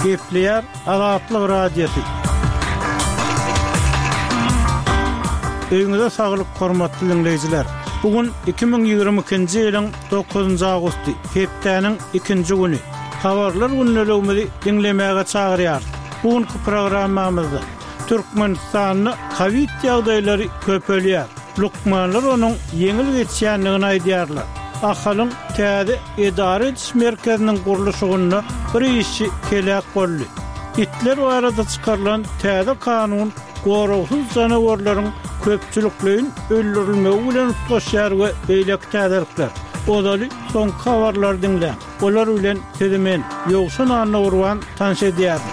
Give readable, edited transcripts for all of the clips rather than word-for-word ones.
Gepleýär Azatlyk Radiosy. Öýüňize saglyk hormatly diňleýjiler. Bu gün 2022-nji ýylyň 9-njy awgusty, hepdäniň ikinji güni. Habarlar gündeligimizi diňlemäge çagyrýarys. Bu günki programmamyzda Türkmenistanda kowid ýagdaýlary köpelýär. Lukmanlar onuň ýeňil geçýändigini aýdýarlar. Ahalyň täze edara ediş merkeziniň gurluşygynda bir işçi heläk boldy. Itler barada çykarylan täze kanun goragsyz janawarlaryň köpçülikleýin öldürilmegi bilen utgaşýar we beýleki täzelikler. Ozaly soňky habarlary diňläň. Olar bilen sizi men, Ýowşan Annagurban tanyş edýärin.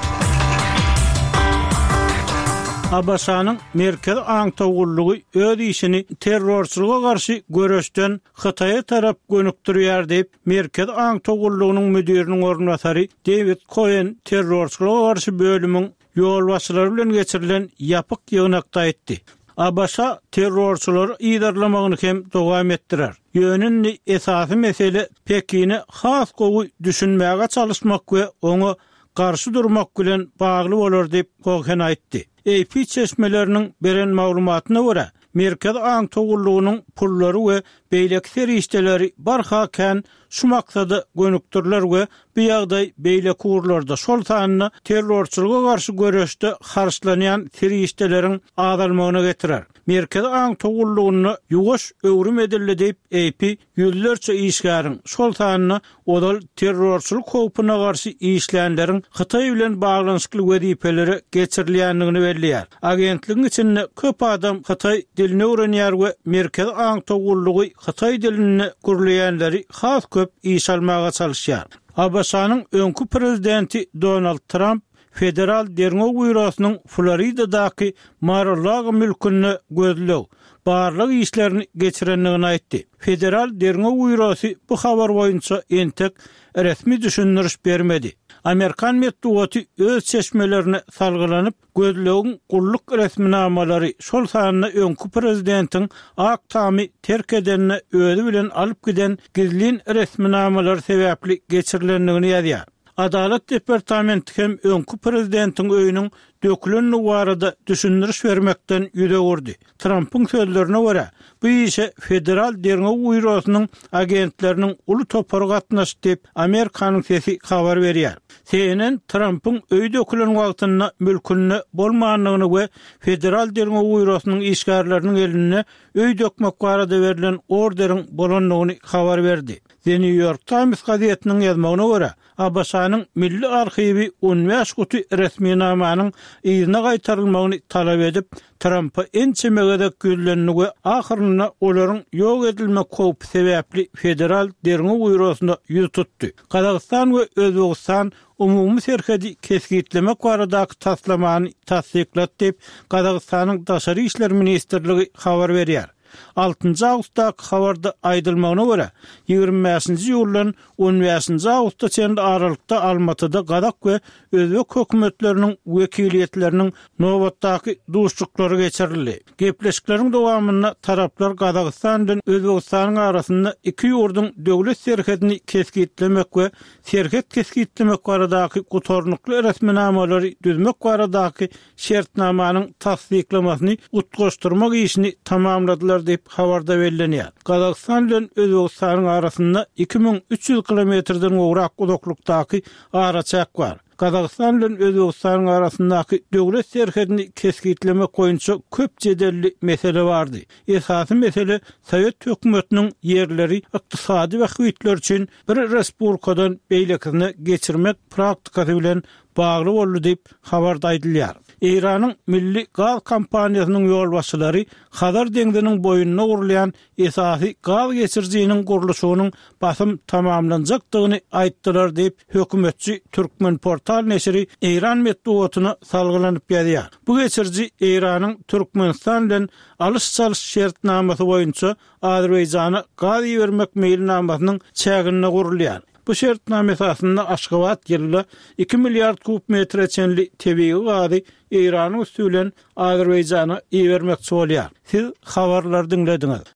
ABŞ-nyň Merkezi aňtaw gullugy öz işini terrorçylyga garşy göreşden Hytaýa tarap gönükdirýär diýip, Merkezi aňtaw gullugynyň müdiriniň orunbasary Dewid Koen terrorçylyga garşy bölümiň ýolbaşçylary bilen geçirilen ýapyk ýygnakda aýtdy. ABŞ terrorçylary yzarlamagyny hem dowam etdirer. Ýöne indi esasy mesele Pekine has gowy düşünmäge çalyşmak we oňa garşy durmak bilen bagly bolar diýip, Kohen aýtdy. AP çeşmeleriniň beren maglumatyna görä, Merkezi aňtaw gullugynyň pullary we beýleki serişdeleri barha kän şu maksada gönükdiriler we bu ýagdaý beýleki ugurlarda, şol sanda terrorçylyga garşy göreşde harçlanýan serişdeleriň azalmagyna getirer. Merkezi aňtaw gullugynda ýuwaş öwrüm edildi diýip, AP ýüzlerçe işgäriň, şol sanda ozal terrorçylyk howpuna garşy işlänleriň Hytaý bilen baglanyşykly wezipelere geçirilýändigini belleýär. Agentligiň içinde köp adam hytaý dilini öwrenýär we Merkezi aňtaw gullugy hytaý dilinde gürleýänleri has köp işe almaga çalyşýar. ABŞ-nyň öňki prezidenti Donald Tramp Federal derňew býurosynyň Floridadaky Mar-a-Lago mülkünde gözleg, barlag işlerini geçirendigini aýtdy. Federal derňew býurosy bu habar boýunça entek resmi düşündiriş bermedi. Amerikan metbugaty öz çeşmelerine salgylanyp, gözlegiň gulluk resminamalary, şol sanda öňki prezidentiň Ak Tamy terk edende özi bilen alyp giden gizlin resminamalary sebäpli geçirilendigini ýazýar. Adalat departamenti hem öňki prezidentiň öýüniň dökülendigi barada düşündiriş bermekden ýüz öwürdi. Trampyň sözlerine görä, bu işe Federal derňew býurosynyň agentleriniň uly topary gatnaşdy diýip, Amerikanyň sesi habar berýär. CNN Trampyň öýi dökülen wagtynda mülkünde bolmandygyny we Federal derňew býurosynyň işgärleriniň elinde öý dökmek barada berlen orderiň bolandygyny habar berdi. The New York Times gazetiniň ýazmagyna görä, ABŞ-nyň Milli arhiwi on bäş guty resminamanyň yzyna gaýtarylmagyny talap edip, Trampa ençeme gezek ýüzlendi we ahyrynda olaryň ýok edilmek howpy sebäpli Federal derňew býurosyna ýüz tutdy. Gazagystan we Özbegistan umumy serhedi kesgitlemek baradaky taslamany tassyklady diýip, Gazagystanyň Daşary işler ministrligi habar berýär. Altynjy awgustdaky habarda aýdylmagyna görä, 25-nji iýuldan on bäşinji awgusta çenli aralykda Almatyda gazak we özbek hökümetleriniň wekiliýetleriniň nobatdaky duşuşyklary geçirildi. Gepleşikleriň dowamynda taraplar Gazagystan bilen Özbegistanyň arasynda iki ýurduň döwlet serhedini kesgitlemek we serhet kesgitlemek baradaky gutarnykly resminamalary düzmek baradaky şertnamanyň tassyklamasyny utgaşdyrmak işini tamamladylar diýip, habarda bellenýär. Gazagystan bilen Özbegistanyň arasynda 2300 kilometrden gowrak uzaklykdaky araçäk bar. Gazagystan bilen Özbegistanyň arasyndaky döwlet serhedini kesgitlemek boýunça köp jedelli mesele bardy. Esasy mesele sowet hökümetiniň ýerleri ykdysady bähbitler üçin bir respublikadan beýlekisine geçirmek praktikasy bilen bagly boldy diýip, habarda aýdylýar. Eýranyň milli gaz kompaniýasynyň ýolbaşçylary Hazar deňziniň boýunda gurulýan esasy gaz geçirijiniň gurluşygynyň basym tamamlanjakdygyny aýtdylar diýip, hökümetçi Türkmenportal neşiri eýran metbugatyna salgylanyp ýazýar. Bu geçiriji Eýranyň Türkmenistan bilen alyş-çalyş şertnamasy boýunça Azerbaýjana gaz ibermek meýilnamasynyň çäginde gurulýar. Bu şertnama esasynda Aşgabat ýylda iki milliard kub metre çenli tebigy gazy Eýranyň üsti bilen Azerbaýjana ibermekçi bolýar. Siz habarlary diňlediňiz.